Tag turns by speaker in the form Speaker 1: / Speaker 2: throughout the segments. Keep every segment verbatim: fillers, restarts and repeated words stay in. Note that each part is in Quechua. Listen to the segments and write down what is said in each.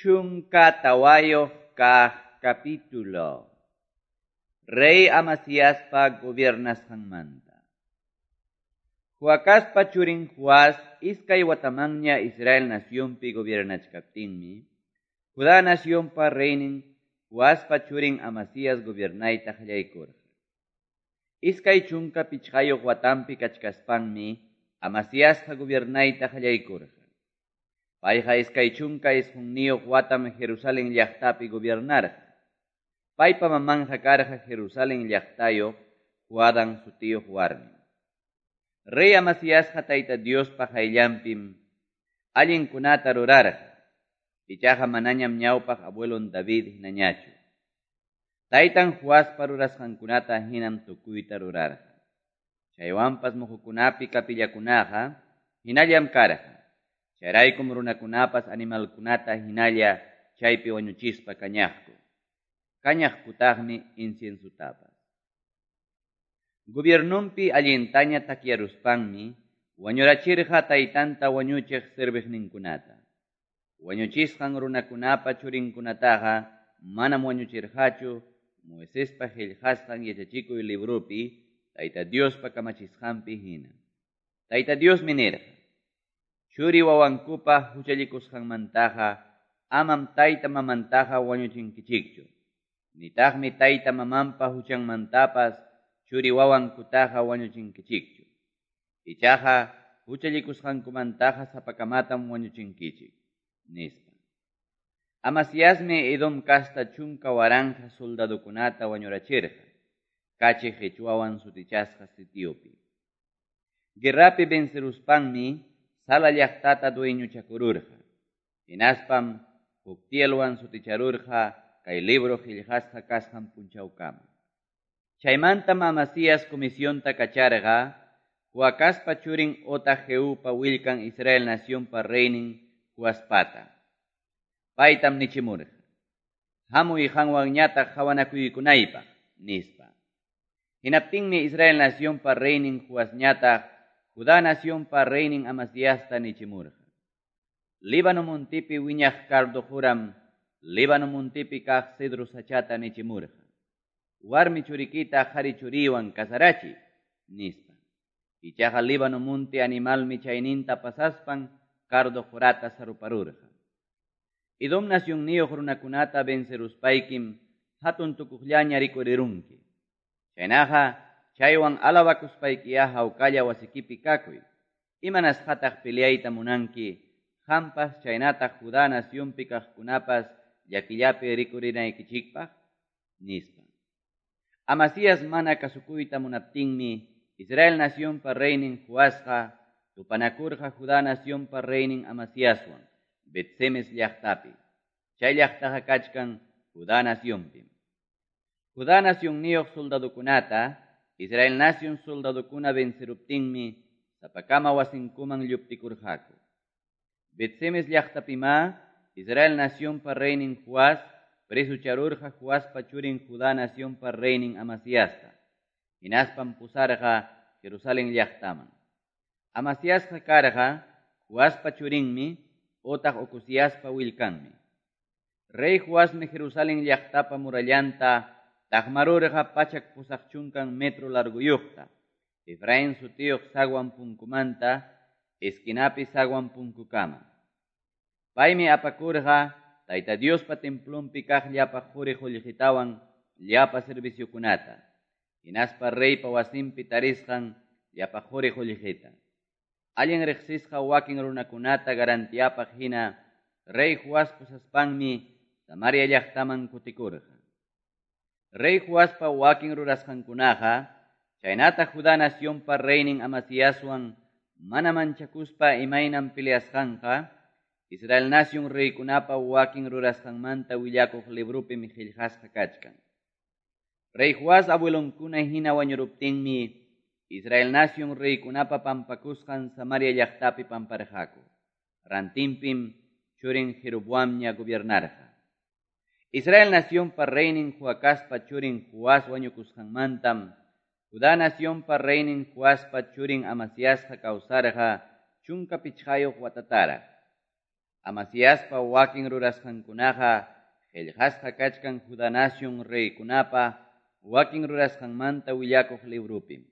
Speaker 1: Chunka tawayuq kaq capítulo. Rey Amasiaspa gobiernasqanmanta. Joacazpa churin Joás iskay watamanña Israel nacionpi gobiernachkaptinmi, Judá nacionpa reynin Joaspa churin Amasías gobiernayta qallaykurqa. Iskay chunka pichqayuq watanpi kachkaspanmi Amasiasqa gobiernayta qallaykurqa. Payqa iskay chunka isqunniyuq watam Jerusalén llaqtapi gobiernarqa. Paypa mamanqa karqa Jerusalén llaqtayuq Joadán sutiyuq warmi. Rey Amasiasqa Tayta Diospa qayllanpim allinkunata rurarqa. Ichaqa manañam ñawpaq abuelon David hinañachu. Taytan Joaspa rurasqankunata hinam tukuyta rurarqa. Chaywanpas muhukunapi kapillakunaqa hinallam karqa. Chayraykum runakunapas animalkunata hinalla chaypi wañuchispa kañaqku. Kañaqkutaqmi inciensutapas. Gobiernunpi allintaña takyaruspanmi wañurachirqa taytanta wañuchiq serviqninkunata. Wañuchisqan runakunapa churinkunataqa manam wañuchirqachu Moisespa qillqasqan yachachikuy librupi Tayta Diospa kamachisqanpi hina. Tayta Diosmi nirqa: Churi wawankupa huchallikusqanmantaqa amam tayta mamantaqa wañuchinkichikchu. Nitaqmi tayta mamanpa huchanmantapas churi wawankutaqa wañuchinkichikchu. Ichaqa huchallikusqankumantaqa sapakamatam wañuchinkichik, nispa. Amasiasmi Edom kasta chunka waranqa soldadukunata wañurachirqa, kachi qichwawan sutichasqa sitiopi. Guerrapi venceruspanmi Sala llaqtata dueñochakururqa. Hinaspam Joctielwan suticharurqa kay libro qillqasqa kasqan punchawkama. Chaymantam Amasías comisionta kacharqa Joacazpa churin otaq Jehupa willkan Israel nacionpa reynin Joaspata. Paytam nichimurqa: Hamuy qanwanñataq qawanakuykunaypaq, nispa. Hinaptinmi Israel nacionpa reynin Joasñataq Judá nacionpa reynin Amasiasta nichimurqa: Líbano montipi wiñaq cardo quram Líbano montipi kaq cedro sachata nichimurqa: Warmi churikita qhari churiwan kasarachi, nispa. Ichaqa Líbano monti animalmi chayninta pasaspan cardo qurata saruparurqa. Edom nacionniyuq runakunata venceruspaykim hatun tukuqllaña rikurirunki. Chaynaqa chaywan alabakuspaykiya hawkalla wasikipi kakuy. Imanasqataq peleayta munanki, qampas chaynataq Judá nacionpi kaqkunapas llakillapi rikurinaykichikpaq, nispa. Amasías mana kasukuyta munaptinmi Israel nacionpa reynin Joasqa tupanakurqa Judá nacionpa reynin Amasiaswan Bet-semes llaqtapi. Chay llaqtaqa kachkan Judá nacionpim. Judá nacionniyuq soldadukunata Israel nacion soldadukuna venceruptinmi sapakama wasinkuman lluptikurqaku. Bet-semes llaqtapimá Israel nacionpa reynin Joás presucharurqa Joaspa churin Judá nacionpa reynin Amasiasta. Hinaspam pusarqa Jerusalén llaqtaman. Amasiasqa karqa Joaspa churinmi otaq Ocosiaspa willkanmi. Rey Joasmi Jerusalén llaqtapa murallanta taqmarurqa pachak pusaq chunkan metro larguyuqta, Efraín sutiyuq zaguan punkumanta, esquinapi zaguan punkukama. Paymi apakurqa Tayta Diospa templonpi kaq llapa quri qullqitawan llapa serviciokunata, hinaspa reypa wasinpi tarisqan llapa quri qullqita. Allin riqsisqa wakin runakunata garantiapaq hina rey Joás pusaspanmi Samaria llaqtaman kutikurqa. Rey Joaspa wakin rurasqankunaqa chaynataq Judá nacionpa reynin Amasiaswan mana manchakuspa imaynam peleasqanqa Israel nacion reykunapa wakin rurasqanmanta willakuq librupim qillqasqa kachkan. Rey Joás abuelonkuna hina wañuruptinmi Israel nacion reykunapa pampakusqan Samaria llaqtapi pamparqaku. Rantinpim churin Jeroboamña gobiernarqa. Israel nacionpa reynin Joacazpa churin Joás wañukusqanmantam Judá nacionpa reynin Joaspa churin Amasiasqa kawsarqa chunka pichqayuq watataraq. Amasiaspa wakin rurasqankunaqa qillqasqa kachkan Judá nación reykunapa wakin rurasqanmanta willakuq librupim.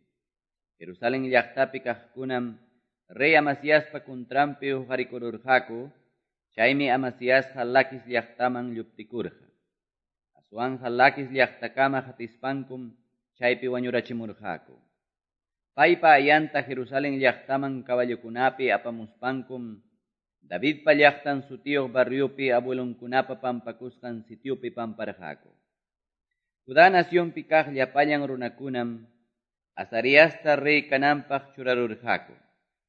Speaker 1: Jerusalén llaqtapi kaqkunam rey Amasiaspa contranpi huqarikururqaku, chaymi Amasiasqa Laquis llaqtaman lluptikurqa. Aswanqa Laquis llaqtakama qatispankum chaypi wañurachimurqaku. Paypa ayanta Jerusalén llaqtaman caballokunapi apamuspankum Davidpa llaqtan sutiyuq barriopi abuelonkunapa pampakusqan sitiopi pamparqaku. Judá nacionpi kaq llapallan runakunam Azariasta rey kananpaq churarurqaku,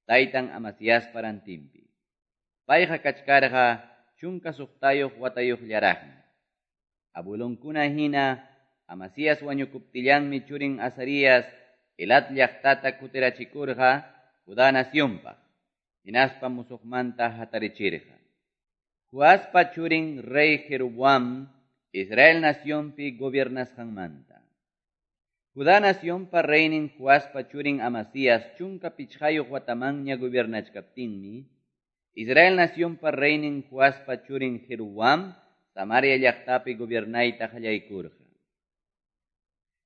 Speaker 1: taytan Amasiaspa rantinpi. Payqa kachkarqa chunka suqtayuq watayuqllaraqmi. Abuelonkuna hina Amasías wañukuptillanmi churin Azarías Elat llaqtata kutirachikurqa Judá nacionpaq, hinaspa musuqmanta hatarichirqa. Joaspa churin rey Jeroboam Israel nacionpi gobiernasqanmanta. Judá nacionpa reynin Joaspa churin Amasías chunka pichqayuq watamanña gobiernachkaptinmi, Israel nacionpa reynin Joaspa churin Jeroboam Samaria llaqtapi gobiernayta qallaykurqa.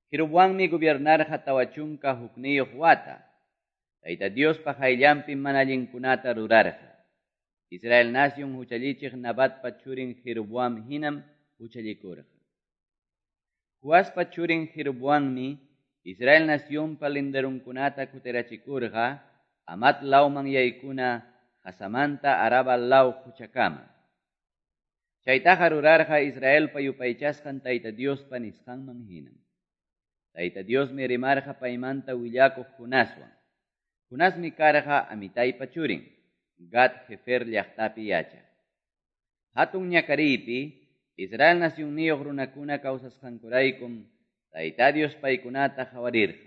Speaker 1: Jeroboammi gobiernarqa tawa chunka hukniyuq wata. Tayta Diospa qayllanpi mana allinkunata rurarqa. Israel nación huchallichiq Nabatpa churin Jeroboam hinam huchallikurqa. Joaspa churin Jeroboammi Israel nacionpa linderunkunata kutirachikurqa Amat lawman yaykuna Hasamanta Araba law huchakama. Chaytaqa rurarqa Israelpa yupaychasqan Tayta Diospa nisqanman hinam. Tayta Diosmi rimarqa paymanta willakuq Jonaswan. Jonasmi karqa Amitaypa churin, Gat Hefer llaqtapi yachaq. Hatun ñakariypi Israel nacionniyuq runakuna kawsasqankuraykum Tayta Dios paykunata qawarirqa.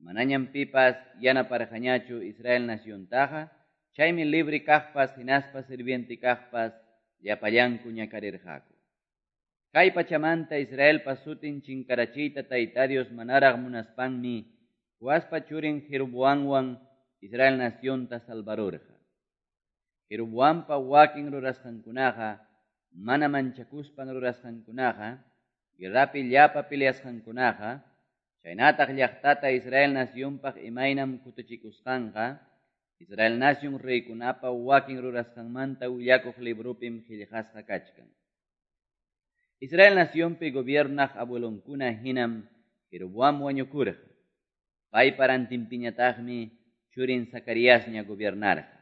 Speaker 1: Manañam pipas yanaparqañachu Israel naciontaqa, chaymi libre kaqpas hinaspa sirviente kaqpas llapallanku ñakarirqaku. Kay pachamanta Israelpa sutin chinkarachiyta Tayta Dios manaraq munaspanmi Joaspa churin Jeroboamwan Israel nacionta salvarurqa. Jeroboampa wakin rurasqankunaqa, mana manchakuspan rurasqankunaqa, guerrapi llapa peleasqankunaqa, chaynataq llaqtata Israel nacionpaq imaynam kutichikusqanqa, Israel nación reykunapa wakin rurasqanmanta willakuq librupim qillqasqa kachkan. Israel nacionpi gobiernaq abuelonkuna hinam Jeroboam wañukurqa. Paypa rantinpiñataqmi churin Zacariasña gobiernarqa.